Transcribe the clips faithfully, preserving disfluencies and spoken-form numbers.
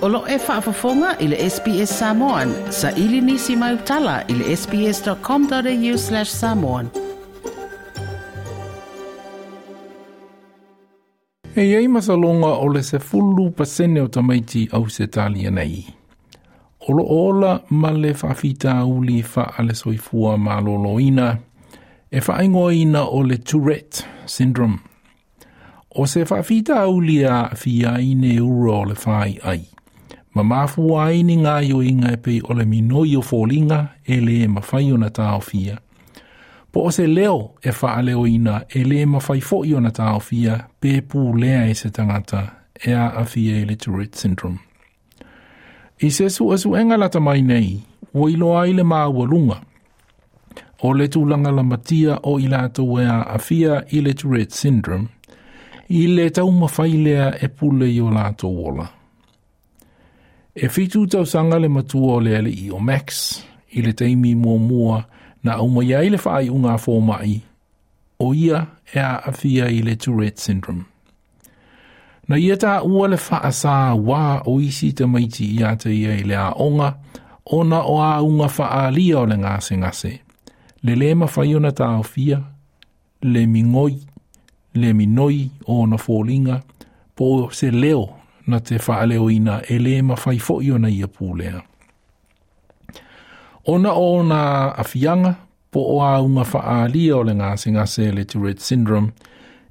O lo e faafofoga i le S B S Samoan, sa ili nisi mai utala i le S B S dot com dot A U slash samoan. E iai masalonga o le sefulu pasene o tamaiti Ausetalia nei o lo ola ma le faafitauli faale-soifua maloloina e faaigoaina o le Tourette syndrome. O se faafitauli e aafia ai neuro o le faiai ma mafua ai ni gaoioiga e pei o le minoi o foliga e lē mafai ona taofia, po o se leo e faaleoina e lē mafai foʻi ona taofia pe pulea e se tagata e aafia i le Tourette syndrome. I se suʻesuʻega lata mai nei, ua iloa ai le maualuga o le tulaga lamatia o i latou e aafia i le Tourette syndrome i le taumafai lea e pule i o latou ola. E fitu tausaga le matua o le alii o Max i le taimi muamua na aumai ai le faaiuga a fomaʻi o ia e aafia i le Tourette syndrome. Na ia taua le faasauā o isi tamaiti ia te ia i le aoga ona o auga faaalia o le gasegase. Le lē mafai ona taofia, le migoi, le minoi o ona foliga, po o se leo na te faaleoina e lē mafai foʻi ona ia pulea. Ona o ona aafiaga po o auga faaalia o le gasegase le Tourette syndrome,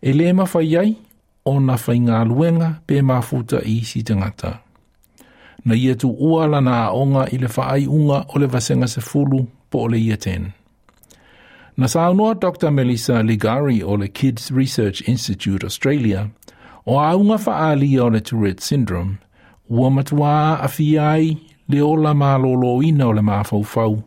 e lē mafai ai ona faigaluega pe mafuta i isi tagata. Na ia tuua lana aoga i le faaiuga o le vasega sefulu po o le Year ten. Na saunoa Doctor Melissa Ligari o le Kids Research Institute Australia, o auga faaalia o le Tourette syndrome, ua matuā aafia ai le ola malōlōina o le mafaufau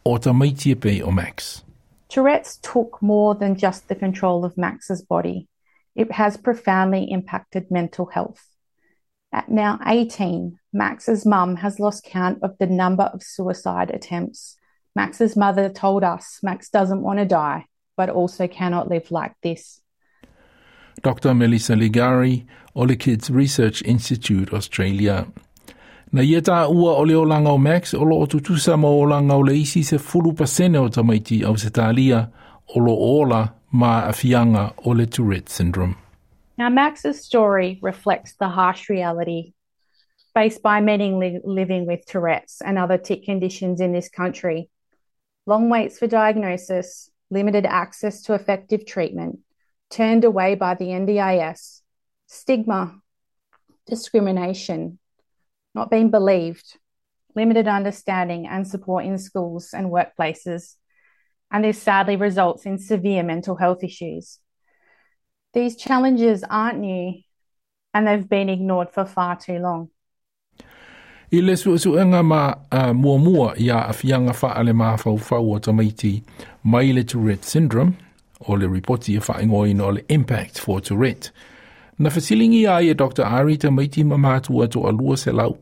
o tamaiti e pei o Max. Tourette's took more than just the control of Max's body. It has profoundly impacted mental health. At now eighteen, Max's mum has lost count of the number of suicide attempts. Max's mother told us Max doesn't want to die, but also cannot live like this. Doctor Melissa Ligari o le Kids Research Institute Australia. Na ia taua o le olaga o Max o loo tutusa ma olaga o le isi sefulu pasene o tamaiti Ausetalia o lo ola ma aafiaga o le Tourette syndrome. Now, Max's story reflects the harsh reality faced by many li- living with Tourette's and other tic conditions in this country. Long waits for diagnosis, limited access to effective treatment, turned away by the N D I S, stigma, discrimination, not being believed, limited understanding and support in schools and workplaces, and this sadly results in severe mental health issues. These challenges aren't new and they've been ignored for far too long. I le suʻesuʻega ma uh, muamua i aafiaga faale-mafaufau o tamaiti mai le Tourette syndrome, o le ripoti e faaigoaina o le Impact for Tourette, na fesiligia ai e Doctor Ari tamaiti ma matua toalua selau,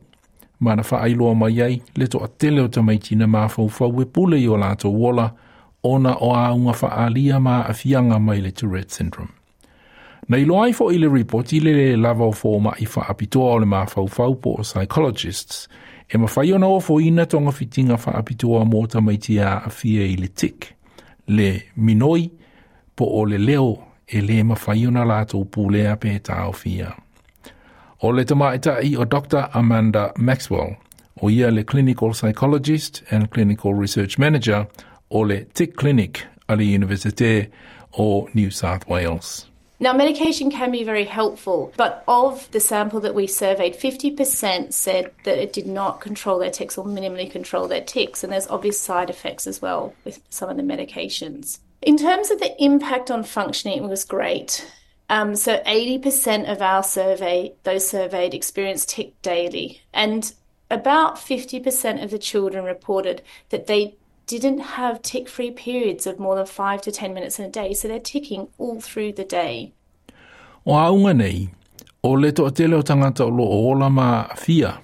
ma na faailoa mai ai le toatele o tamaiti na mafaufau e pule i o latou ola ona o auga faaalia ma aafiaga mai le Tourette syndrome. Na iloa ai foʻi i le ripoti le lē lava o fomaʻi faapitoa o le mafaufau po o psychologists e mafai ona ofoina togafitiga faapitoa mo tamaiti e aafia i le tic, le minoi, po o le leo e lē mafai ona latou pulea pe taofia. O le tamaʻitai o Doctor Amanda Maxwell, o ia le clinical psychologist and clinical research manager o le Tic Clinic a le Universite o New South Wales. Now, medication can be very helpful, but of the sample that we surveyed, fifty percent said that it did not control their tics or minimally control their tics, and there's obvious side effects as well with some of the medications. In terms of the impact on functioning, it was great. Um, so eighty percent of our survey, those surveyed, experienced tic daily, and about fifty percent of the children reported that they didn't have tic-free periods of more than five to ten minutes in a day, so they're ticking all through the day. O auga nei, o le toatele o tagata o lo o ola ma aafia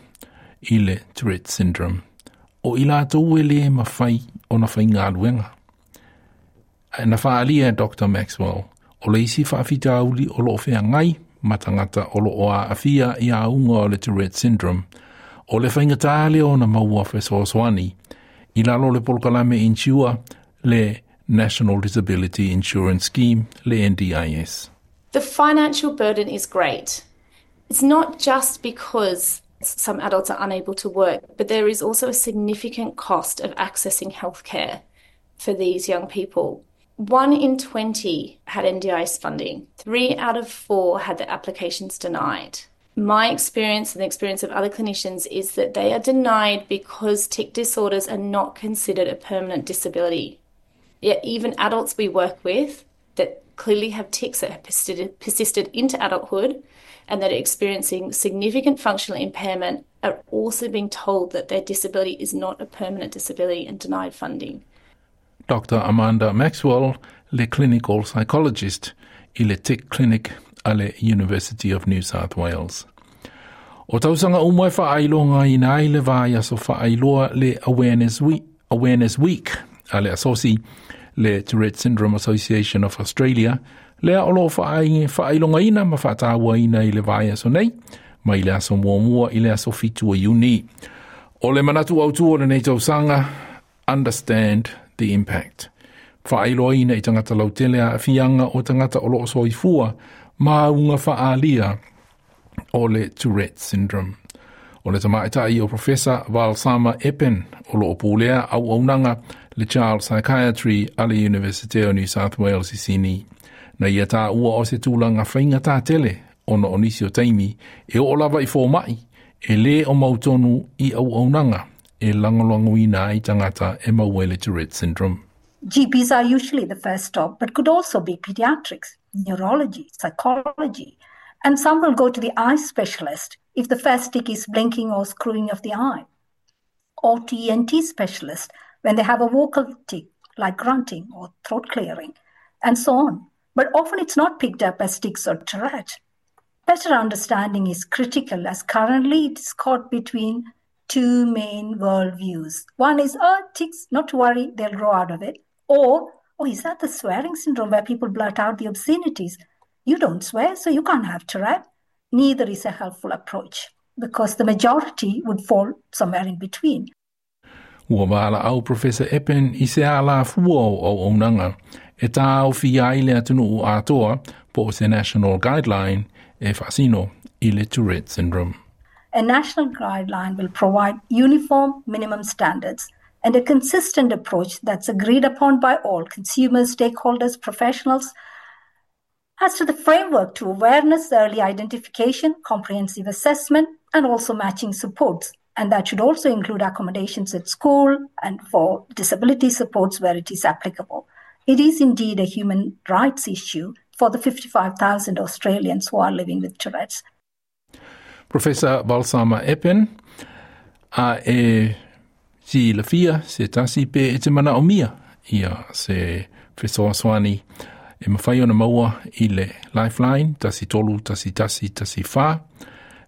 i le Tourette syndrome, o i latou e lē mafai ona faigaluega. Na faaalia e Doctor Maxwell, o le isi faafitauli o loo feagai ma tagata o loo aafia i auga o le Tourette syndrome, O le faigata lea ona maua fesoasoani i lalo o le polokalame insure le National Disability Insurance Scheme, le N D I S. The financial burden is great. It's not just because some adults are unable to work, but there is also a significant cost of accessing healthcare for these young people. One in twenty had N D I S funding. Three out of four had their applications denied. My experience and the experience of other clinicians is that they are denied because tic disorders are not considered a permanent disability. Yet, even adults we work with that clearly have tics that have persisted, persisted into adulthood and that are experiencing significant functional impairment are also being told that their disability is not a permanent disability and denied funding. Doctor Amanda Maxwell, le clinical psychologist i le Tic Clinic a le University of New South Wales. O tausaga uma e faailogaina ai le vaiaso faailoa le Awareness Week, Awareness Week a le asosi le Tourette Syndrome Association of Australia, lea o lo faailogaina ma faatauaina i le vaiaso nei, mai le aso muamua i le aso fitu o Iuni. O le manatu autū o lenei tausaga, "Understand the Impact". Faailoaina i tagata lautele aafiaga o tagata o loo soifua ma auga faaalia o le Tourette Syndrome. O le tamaitai o Professor Valsamma Eapen o loo pulea auaunaga le Child Psychiatry a le University o New South Wales i Sydney. Na ia taua o se tulaga faigata tele ona o nisi o taimi e oo lava i fomai e lē o mautonu i auaunaga e lagolagoina ai tagata e maua i le Tourette Syndrome. G Ps are usually the first stop, but could also be pediatrics, neurology, psychology, and some will go to the eye specialist if the first tic is blinking or screwing of the eye, or to E N T specialist when they have a vocal tic like grunting or throat clearing, and so on. But often it's not picked up as tics or Tourette. Better understanding is critical, as currently it's caught between two main worldviews. One is, "Oh, tics, not to worry, they'll grow out of it." Or, "Oh, is that the swearing syndrome where people blurt out the obscenities? You don't swear, so you can't have Tourette." Neither is a helpful approach because the majority would fall somewhere in between. Ua valaau Professor Eapen i se alafua o auaunaga e taofia ai le atunuu atoa po o se national guideline e faasino i le Tourette Syndrome. A national guideline will provide uniform minimum standards and a consistent approach that's agreed upon by all consumers, stakeholders, professionals, as to the framework to awareness, early identification, comprehensive assessment, and also matching supports. And that should also include accommodations at school and for disability supports where it is applicable. It is indeed a human rights issue for the fifty-five thousand Australians who are living with Tourette's. Professor Valsamma Eapen, a e silafia se tasi pe e te manaomia ia se fesoasoani e mafai ona maua i le Lifeline tasi tolu tasi tasi tasi fa,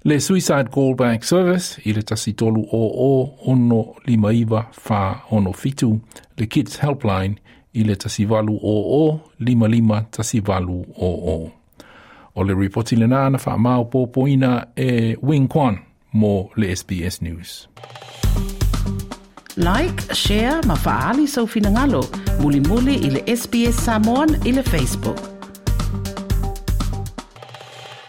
le Suicide Callback Service i le tasi tolu o o ono lima iva fa ono fitu, le Kids Helpline i le tasi valu o o lima lima tasi valu o o. O le ripoti lena na faamaopoopoina e Wing Kwan mo le S B S News. Like, share ma faali sau finagalo. Mulimuli i le S B S Samoan i le Facebook.